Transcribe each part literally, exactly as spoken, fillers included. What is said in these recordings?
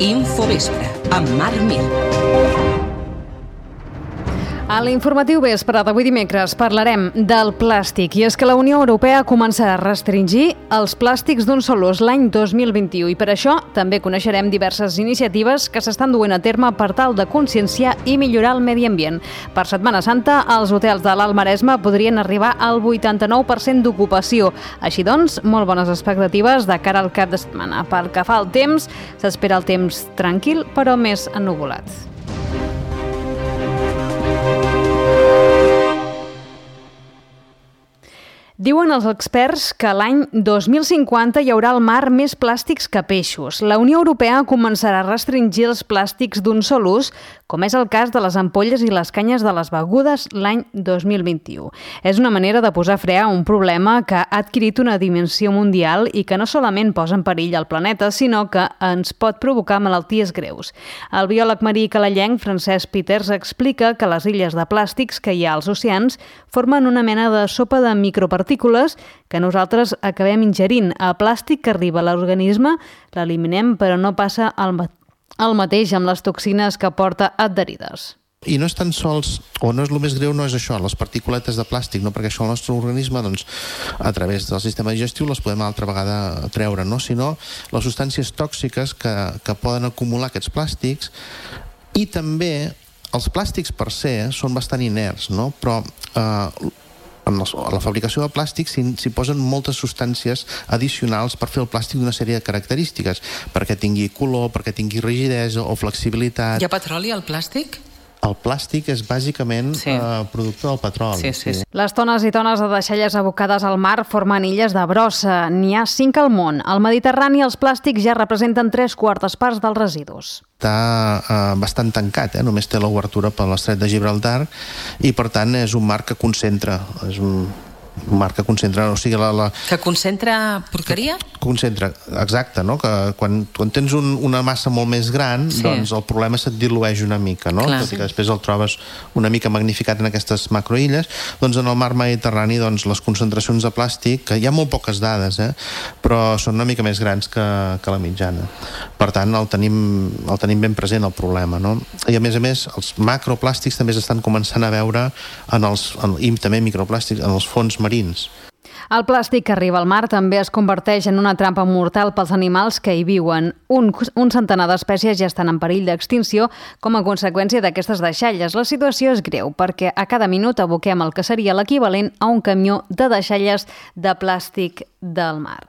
Infovespre, amb Marc Mir. A l'informatiu vespre d'avui dimecres parlarem del plàstic, i és que la Unió Europea començarà a restringir els plàstics d'un sol ús l'any dos mil vint-i-u, i per això també coneixerem diverses iniciatives que s'estan duent a terme per tal de conscienciar i millorar el medi ambient. Per Setmana Santa, els hotels de l'Alt Maresme podrien arribar al vuitanta-nou per cent d'ocupació. Així doncs, molt bones expectatives de cara al cap de setmana. Pel que fa al temps, s'espera el temps tranquil, però més ennuvolat. Diuen els experts que l'any dos mil cinquanta hi haurà al mar més plàstics que peixos. La Unió Europea començarà a restringir els plàstics d'un sol ús, com és el cas de les ampolles i les canyes de les begudes l'any dos mil vint-i-u. És una manera de posar fre a un problema que ha adquirit una dimensió mundial i que no solament posa en perill el planeta, sinó que ens pot provocar malalties greus. El biòleg marí calalenc Francesc Peters explica que les illes de plàstics que hi ha als oceans formen una mena de sopa de micropartícules que nosaltres acabem ingerint. El plàstic que arriba a l'organisme l'eliminem, però no passa el, ma- el mateix amb les toxines que porta adherides. I no és tan sols, o no és el més greu, no és això, les particuletes de plàstic, no? Perquè això el nostre organisme, doncs, a través del sistema digestiu les podem altra vegada treure, no? Sinó les substàncies tòxiques que, que poden acumular aquests plàstics, i també els plàstics per se són bastant inerts, no? Però eh, en la fabricació de plàstic s'hi posen moltes substàncies addicionals per fer el plàstic d'una sèrie de característiques, perquè tingui color, perquè tingui rigidesa o flexibilitat. Hi ha petroli al plàstic? El plàstic és bàsicament sí. eh, producte del petroli. Sí, sí, sí. Les tones i tones de deixalles abocades al mar formen illes de brossa. N'hi ha cinc al món. Al Mediterrani els plàstics ja representen tres quartes parts dels residus. Està eh, bastant tancat, eh? Només té l'obertura per l'estret de Gibraltar i per tant és un mar que concentra, és un... un mar que concentra, o sigui, la... la... Que concentra porqueria? Concentra, exacte, no? Que quan, quan tens un, una massa molt més gran, sí. doncs el problema se't dilueix una mica, no? Clar, tot i que després el trobes una mica magnificat en aquestes macroilles. Doncs en el mar Mediterrani, doncs, les concentracions de plàstic, que hi ha molt poques dades, eh? Però són una mica més grans que, que la mitjana. Per tant, el tenim, el tenim ben present, el problema, no? I a més a més, els macroplàstics també s'estan començant a veure en els, en, i també microplàstics, en els fons marins. El plàstic que arriba al mar també es converteix en una trampa mortal pels animals que hi viuen. Un, un centenar d'espècies ja estan en perill d'extinció com a conseqüència d'aquestes deixalles. La situació és greu perquè a cada minut aboquem el que seria l'equivalent a un camió de deixalles de plàstic del mar.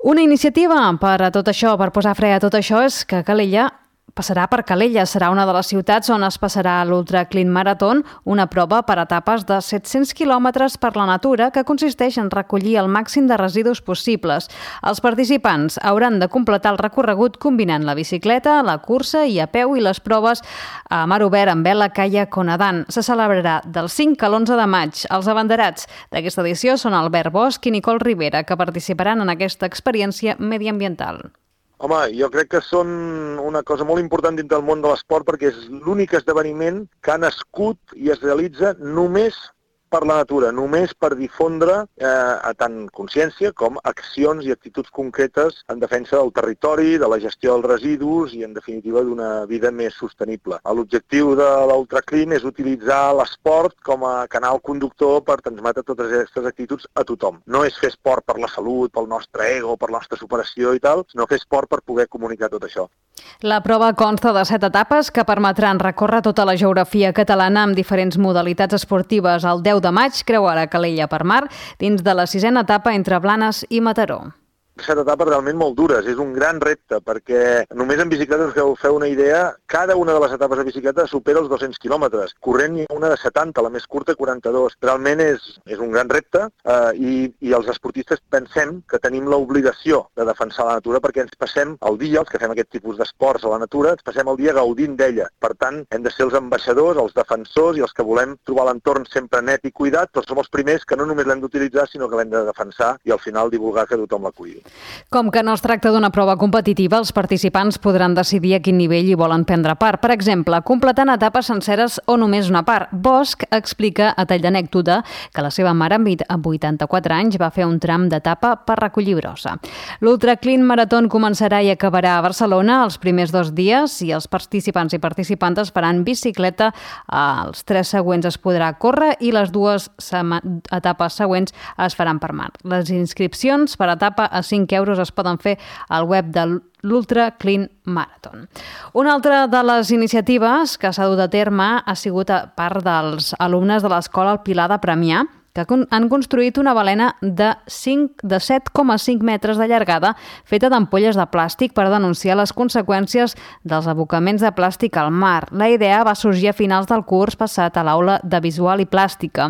Una iniciativa per a tot això, per posar fre a tot això, és que Calella passarà per Calella. Serà una de les ciutats on es passarà l'Ultra Clean Marathon, una prova per etapes de set-cents quilòmetres per la natura que consisteix en recollir el màxim de residus possibles. Els participants hauran de completar el recorregut combinant la bicicleta, la cursa i a peu i les proves a mar obert amb vela, caiac o nedant. Se celebrarà del cinc a l'onze de maig. Els abanderats d'aquesta edició són Albert Bosch i Nicole Rivera, que participaran en aquesta experiència mediambiental. Home, jo crec que són una cosa molt important dintre del món de l'esport perquè és l'únic esdeveniment que ha nascut i es realitza només per la natura, només per difondre eh, a tant consciència com accions i actituds concretes en defensa del territori, de la gestió dels residus i, en definitiva, d'una vida més sostenible. L'objectiu de l'Ultraclean és utilitzar l'esport com a canal conductor per transmetre totes aquestes actituds a tothom. No és fer esport per la salut, pel nostre ego, per la nostra superació i tal, sinó fer esport per poder comunicar tot això. La prova consta de set etapes que permetran recórrer tota la geografia catalana amb diferents modalitats esportives. El deu de maig creuarà Calella per mar dins de la sisena etapa entre Blanes i Mataró. Set etapes realment molt dures, és un gran repte, perquè només en bicicleta, us feu, feu una idea, cada una de les etapes de bicicleta supera els dos-cents quilòmetres. Corrent hi ha una de setanta, la més curta quaranta-dos. Realment és, és un gran repte eh, i, i els esportistes pensem que tenim l'obligació de defensar la natura perquè ens passem el dia, els que fem aquest tipus d'esports a la natura, ens passem el dia gaudint d'ella. Per tant, hem de ser els ambaixadors, els defensors i els que volem trobar l'entorn sempre net i cuidat, però som els primers que no només l'hem d'utilitzar, sinó que l'hem de defensar i al final divulgar que tothom la cuidi. Com que no es tracta d'una prova competitiva, els participants podran decidir a quin nivell hi volen prendre part. Per exemple, completant etapes senceres o només una part. Bosch explica, a tall d'anècdota, que la seva mare, amb vuitanta-quatre anys, va fer un tram d'etapa per recollir brossa. L'Ultra Clean Marathon començarà i acabarà a Barcelona els primers dos dies i els participants i participantes faran bicicleta. Els tres següents es podrà córrer i les dues etapes següents es faran per mar. Les inscripcions per etapa a cinc euros es poden fer al web de l'Ultra Clean Marathon. Una altra de les iniciatives que s'ha dut a terme ha sigut a part dels alumnes de l'Escola El Pilar de Premià, que han construït una balena de set coma cinc metres de llargada feta d'ampolles de plàstic per denunciar les conseqüències dels abocaments de plàstic al mar. La idea va sorgir a finals del curs passat a l'aula de Visual i Plàstica.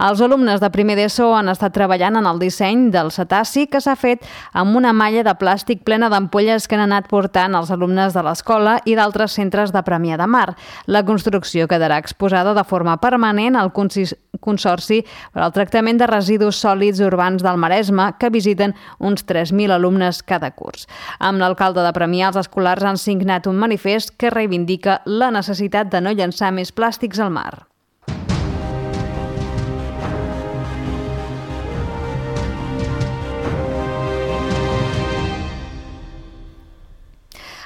Els alumnes de primer d'ESO han estat treballant en el disseny del cetaci, que s'ha fet amb una malla de plàstic plena d'ampolles que han anat portant els alumnes de l'escola i d'altres centres de Premià de Mar. La construcció quedarà exposada de forma permanent al Consorci per al tractament de residus sòlids urbans del Maresme, que visiten uns tres mil alumnes cada curs. Amb l'alcalde de Premià, els escolars han signat un manifest que reivindica la necessitat de no llançar més plàstics al mar.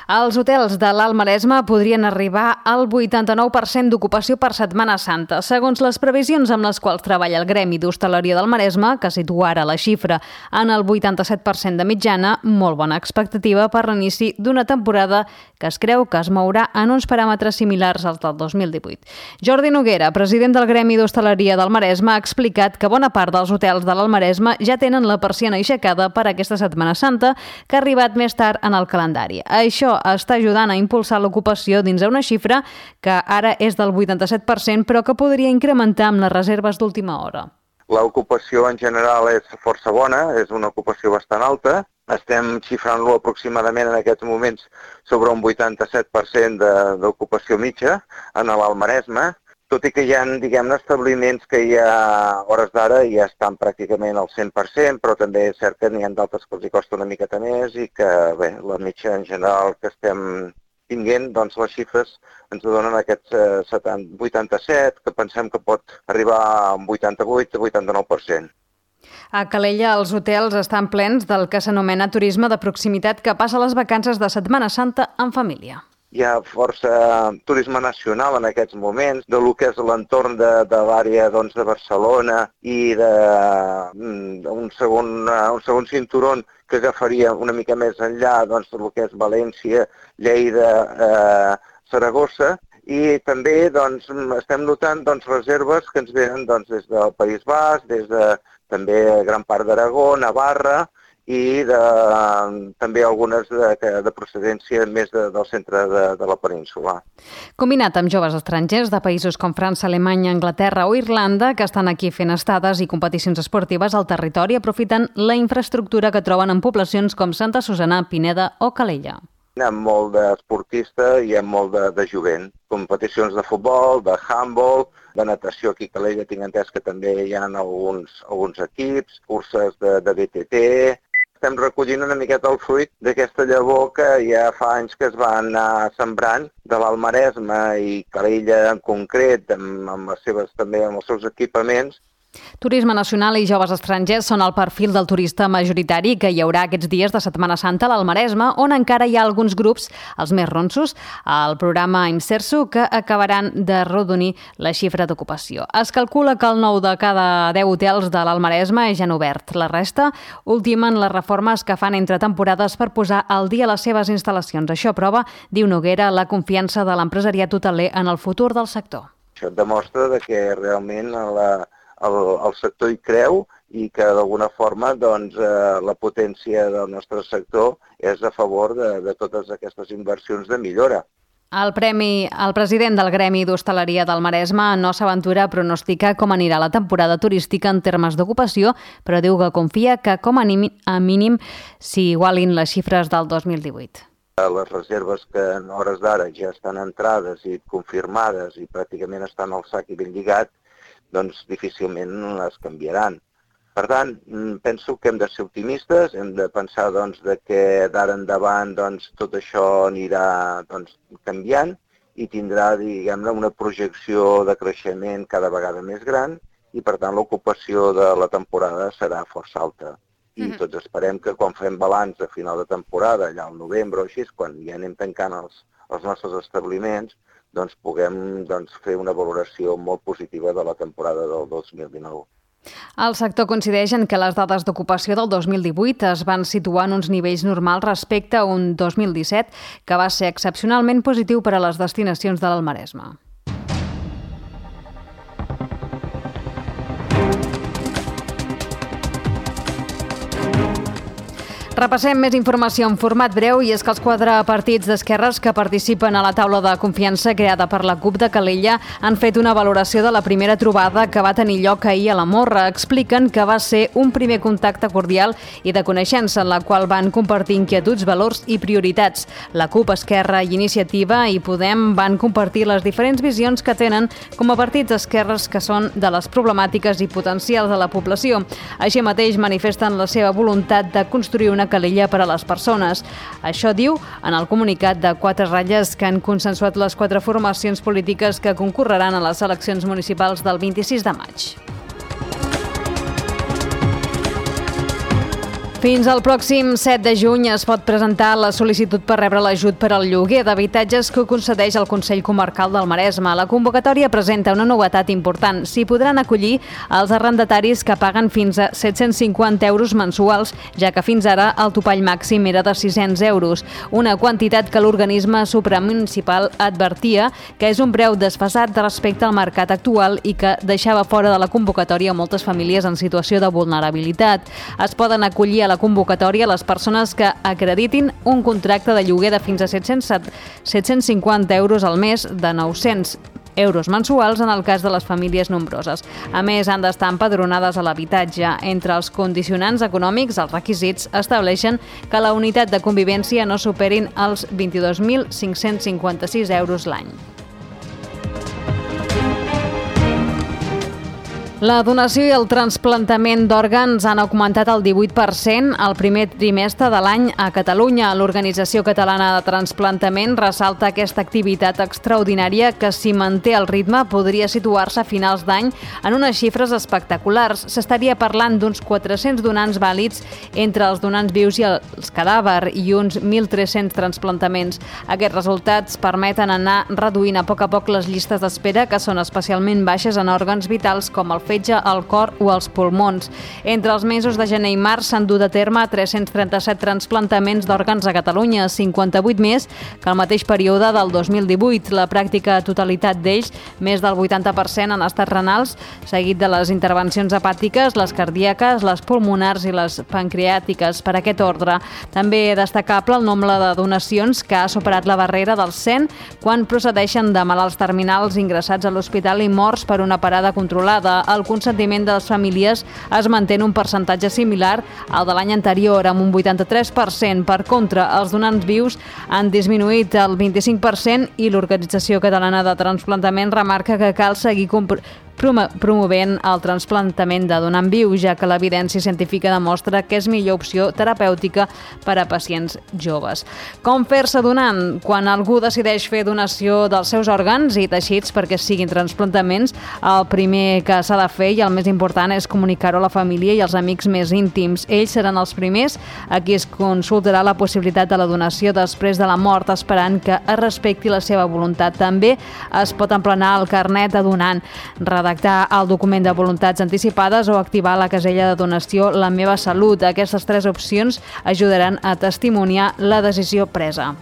Els hotels de l'Alt Maresme podrien arribar al vuitanta-nou per cent d'ocupació per Setmana Santa. Segons les previsions amb les quals treballa el Gremi d'Hostaleria del Maresme, que situa ara la xifra en el vuitanta-set per cent de mitjana, molt bona expectativa per l'inici d'una temporada que es creu que es mourà en uns paràmetres similars als del dos mil divuit. Jordi Noguera, president del Gremi d'Hostaleria del Maresme, ha explicat que bona part dels hotels de l'Alt Maresme ja tenen la persiana aixecada per aquesta Setmana Santa, que ha arribat més tard en el calendari. Això està ajudant a impulsar l'ocupació dins una xifra que ara és del vuitanta-set per cent, però que podria incrementar amb les reserves d'última hora. L'ocupació en general és força bona, és una ocupació bastant alta. Estem xifrant-lo aproximadament en aquests moments sobre un vuitanta-set per cent d'ocupació mitja en l'Alt Maresme, tot i que hi ha, diguem-ne, establiments que ja a hores d'ara ja estan pràcticament al cent per cent, però també és cert que n'hi ha d'altres que els hi costa una miqueta més i que, bé, la mitja en general que estem tinguent, doncs les xifres ens donen aquests eh, vuitanta-set, que pensem que pot arribar a un vuitanta-vuit a vuitanta-nou per cent. A Calella els hotels estan plens del que s'anomena turisme de proximitat, que passa les vacances de Setmana Santa en família. Hi ha força turisme nacional en aquests moments, de lo que és l'entorn de, de l'àrea doncs, de Barcelona i d'un segon, un segon cinturó que agafaria una mica més enllà doncs, del que és València, Lleida, eh, Saragossa, i també doncs, estem notant doncs, reserves que ens venen doncs, des del País Basc, des de també gran part d'Aragó, Navarra, i de, també algunes de, de procedència més de, del centre de, de la península. Combinat amb joves estrangers de països com França, Alemanya, Anglaterra o Irlanda, que estan aquí fent estades i competicions esportives al territori, aprofiten la infraestructura que troben en poblacions com Santa Susanna, Pineda o Calella. Hi ha molt d'esportista i hi ha molt de, de jovent. Competicions de futbol, de handball, de natació aquí a Calella tinc entès que també hi ha alguns, alguns equips, curses de, de B T T. Estem recollint una miqueta el fruit d'aquesta llavor que ja fa anys que es va anar sembrant de l'Alt Maresme i Calella en concret, amb, amb, les seves, també amb els seus equipaments. Turisme nacional i joves estrangers són el perfil del turista majoritari que hi haurà aquests dies de Setmana Santa a l'Alt Maresme, on encara hi ha alguns grups, els més ronsos, al programa Imserso, que acabaran de rodonir la xifra d'ocupació. Es calcula que el nou de cada deu hotels de l'Alt Maresme ja han obert. La resta ultimen les reformes que fan entre temporades per posar al dia les seves instal·lacions. Això prova, diu Noguera, la confiança de l'empresariat hoteler en el futur del sector. Això demostra que realment la El, el sector hi creu i que d'alguna forma doncs, eh, la potència del nostre sector és a favor de, de totes aquestes inversions de millora. El premi, el president del Gremi d'Hostaleria del Maresme no s'aventura a pronosticar com anirà la temporada turística en termes d'ocupació, però diu que confia que com a mínim s'hi igualin les xifres del dos mil divuit. Les reserves que en hores d'ara ja estan entrades i confirmades i pràcticament estan al sac i ben lligat, doncs difícilment les canviaran. Per tant, penso que hem de ser optimistes, hem de pensar doncs, de que d'ara endavant doncs, tot això anirà doncs, canviant i tindrà diguem-ne, una projecció de creixement cada vegada més gran i, per tant, l'ocupació de la temporada serà força alta. I mm-hmm. tots esperem que quan fem balanç de final de temporada, allà al novembre o així, quan ja anem tancant els, els nostres establiments, doncs puguem doncs, fer una valoració molt positiva de la temporada del dos mil dinou. El sector coincideix en que les dades d'ocupació del dos mil divuit es van situar en uns nivells normals respecte a un dos mil disset que va ser excepcionalment positiu per a les destinacions de l'Almaresme. Repassem més informació en format breu i és que els quatre partits d'esquerres que participen a la taula de confiança creada per la CUP de Calella han fet una valoració de la primera trobada que va tenir lloc ahir a la Morra. Expliquen que va ser un primer contacte cordial i de coneixença en la qual van compartir inquietuds, valors i prioritats. La CUP, Esquerra i Iniciativa i Podem van compartir les diferents visions que tenen com a partits d'esquerres que són de les problemàtiques i potencials de la població. Així mateix manifesten la seva voluntat de construir una Calella per a les persones. Això diu en el comunicat de quatre ratlles que han consensuat les quatre formacions polítiques que concorreran a les eleccions municipals del vint-i-sis de maig. Fins al pròxim set de juny es pot presentar la sol·licitud per rebre l'ajut per al lloguer d'habitatges que concedeix el Consell Comarcal del Maresme. La convocatòria presenta una novetat important. S'hi podran acollir els arrendataris que paguen fins a set-cents cinquanta euros mensuals, ja que fins ara el topall màxim era de sis-cents euros, una quantitat que l'organisme supramunicipal advertia que és un preu desfasat respecte al mercat actual i que deixava fora de la convocatòria moltes famílies en situació de vulnerabilitat. Es poden acollir a la convocatòria les persones que acreditin un contracte de lloguer de fins a set-cents cinquanta euros al mes, de nou-cents euros mensuals en el cas de les famílies nombroses. A més, han d'estar empadronades a l'habitatge. Entre els condicionants econòmics, els requisits estableixen que la unitat de convivència no superin els vint-i-dos mil cinc-cents cinquanta-sis euros l'any. La donació i el trasplantament d'òrgans han augmentat el divuit per cent el primer trimestre de l'any a Catalunya. L'Organització Catalana de Trasplantament ressalta aquesta activitat extraordinària que, si manté el ritme, podria situar-se a finals d'any en unes xifres espectaculars. S'estaria parlant d'uns quatre-cents donants vàlids entre els donants vius i els cadàvers i uns mil tres-cents transplantaments. Aquests resultats permeten anar reduint a poc a poc les llistes d'espera, que són especialment baixes en òrgans vitals com el fetge, el cor o els pulmons. Entre els mesos de gener i març s'han dut a terme tres-cents trenta-set transplantaments d'òrgans a Catalunya, cinquanta-vuit més que el mateix període del dos mil divuit. La pràctica totalitat d'ells, més del vuitanta per cent en estats renals, seguit de les intervencions hepàtiques, les cardíaques, les pulmonars i les pancreàtiques. Per aquest ordre, també destacable el nombre de donacions que ha superat la barrera dels cent quan procedeixen de malalts terminals ingressats a l'hospital i morts per una parada controlada. El consentiment de les famílies es manté en un percentatge similar al de l'any anterior, amb un vuitanta-tres per cent. Per contra, els donants vius han disminuït el vint-i-cinc per cent i l'Organització Catalana de Trasplantament remarca que cal seguir compr- promovent el trasplantament de donant viu, ja que l'evidència científica demostra que és millor opció terapèutica per a pacients joves. Com fer-se donant? Quan algú decideix fer donació dels seus òrgans i teixits perquè siguin transplantaments, el primer que s'ha de fer i el més important és comunicar-ho a la família i als amics més íntims. Ells seran els primers a qui es consultarà la possibilitat de la donació després de la mort, esperant que es respecti la seva voluntat. També es pot emplenar el carnet de donant, redactar el document de voluntats anticipades o activar la casella de donació La meva salut. Aquestes tres opcions ajudaran a testimoniar la decisió presa.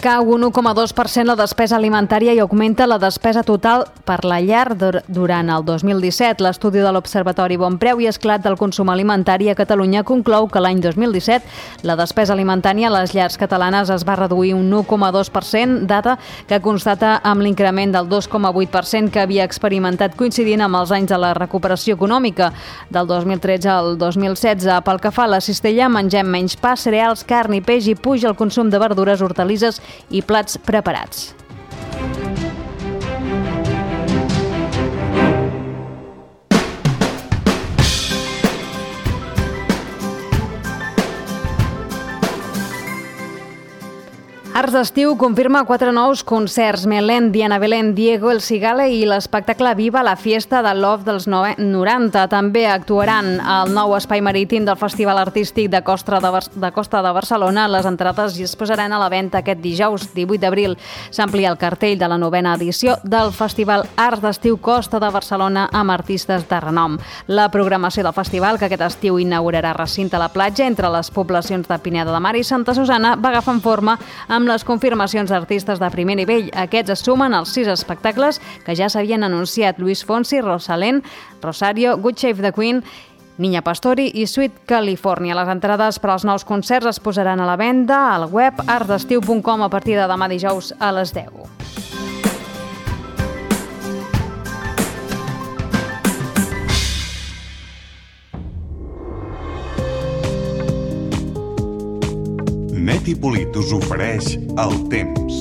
Cau un u coma dos per cent la despesa alimentària i augmenta la despesa total per la llar durant el dos mil disset. L'estudi de l'Observatori Bon Preu i Esclat del Consum Alimentari a Catalunya conclou que l'any dos mil disset la despesa alimentària a les llars catalanes es va reduir un u coma dos per cent, dada que constata amb l'increment del dos coma vuit per cent que havia experimentat coincidint amb els anys de la recuperació econòmica del dos mil tretze al dos mil setze. Pel que fa a la cistella, mengem menys pa, cereals, carn i peix i puja el consum de verdures, hortalisses i plats preparats. Arts d'Estiu confirma quatre nous concerts: Melen, Diana Belén, Diego El Cigale i l'espectacle Viva la Fiesta de Love dels noranta. També actuaran al nou espai marítim del Festival Artístic de Costa de, Bar de Costa de Barcelona. Les entrades es posaran a la venda aquest dijous, divuit d'abril. S'amplia el cartell de la novena edició del Festival Arts d'Estiu Costa de Barcelona amb artistes de renom. La programació del festival, que aquest estiu inaugurarà recinte a la platja entre les poblacions de Pineda de Mar i Santa Susana, va agafant forma amb les confirmacions d'artistes de primer nivell. Aquests es sumen als sis espectacles que ja s'havien anunciat: Luis Fonsi, Rosalén, Rosario, Good Shape the Queen, Niña Pastori i Sweet California. Les entrades per als nous concerts es posaran a la venda al web arts d'estiu punt com a partir de demà dijous a les deu. Net i Polit us ofereix el temps.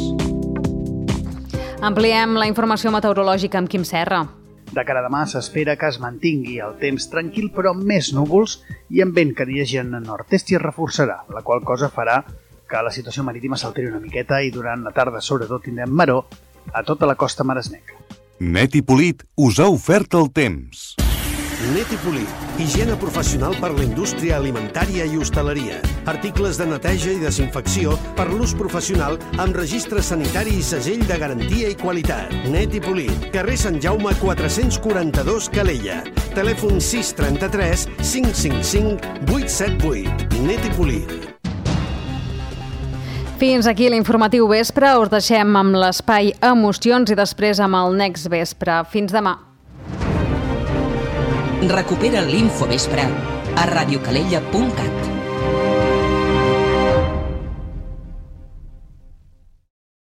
Ampliem la informació meteorològica amb Quim Serra. De cara a demà s'espera que es mantingui el temps tranquil, però amb més núvols i amb vent que dirigeix en nord-est i es reforçarà, la qual cosa farà que la situació marítima s'alteri una miqueta i durant la tarda sobretot tindrem maror a tota la costa maresmenca. Net i Polit us ha ofert el temps. Net i Polit, higiene professional per la indústria alimentària i hostaleria. Articles de neteja i desinfecció per l'ús professional amb registre sanitari i segell de garantia i qualitat. Net i Polit, carrer Sant Jaume quatre-cents quaranta-dos, Calella. Telèfon sis trenta-tres cinc cinc cinc vuit set vuit. Net i Polit. Fins aquí l'informatiu vespre. Us deixem amb l'espai Emocions i després amb el Next Vespre. Fins demà. Recupera l'Infovespre a radiocalella punt cat.